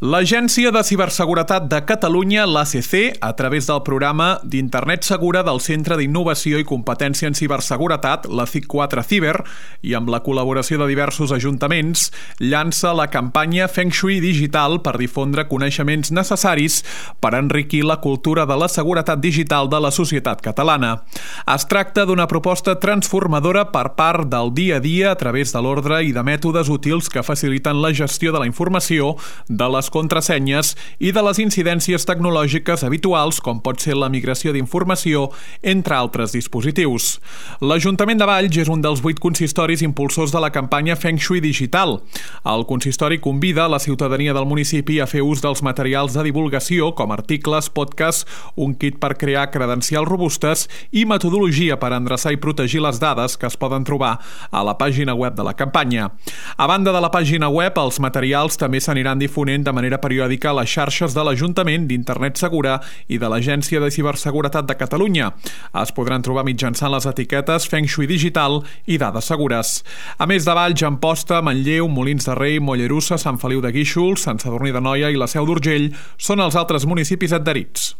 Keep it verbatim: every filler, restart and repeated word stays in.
L'Agència de Ciberseguretat de Catalunya, l'A C C, a través del programa d'Internet Segura del Centre d'Innovació i Competència en Ciberseguretat, la C I C quatre Ciber, i amb la col·laboració de diversos ajuntaments, llança la campanya Feng Shui Digital per difondre coneixements necessaris per enriquir la cultura de la seguretat digital de la societat catalana. Es tracta d'una proposta transformadora per part del dia a dia a través de l'ordre i de mètodes útils que faciliten la gestió de la informació, de les contrasenyes i de les incidències tecnològiques habituals, com pot ser la migració d'informació, entre altres dispositius. L'Ajuntament de Valls és un dels vuit consistoris impulsors de la campanya Feng Shui Digital. El consistori convida la ciutadania del municipi a fer ús dels materials de divulgació, com articles, podcasts, un kit per crear credencials robustes i metodologia per endreçar i protegir les dades que es poden trobar a la pàgina web de la campanya. A banda de la pàgina web, els materials també s'aniran difonent de manera periòdica a les xarxes de l'Ajuntament, d'Internet Segura i de l'Agència de Ciberseguretat de Catalunya. Es podran trobar mitjançant les etiquetes Feng Shui Digital i Dades Segures. A més de Valls, Amposta, Manlleu, Molins de Rei, Mollerussa, Sant Feliu de Guíxols, Sant Sadurní d'Anoia i la Seu d'Urgell són els altres municipis adherits.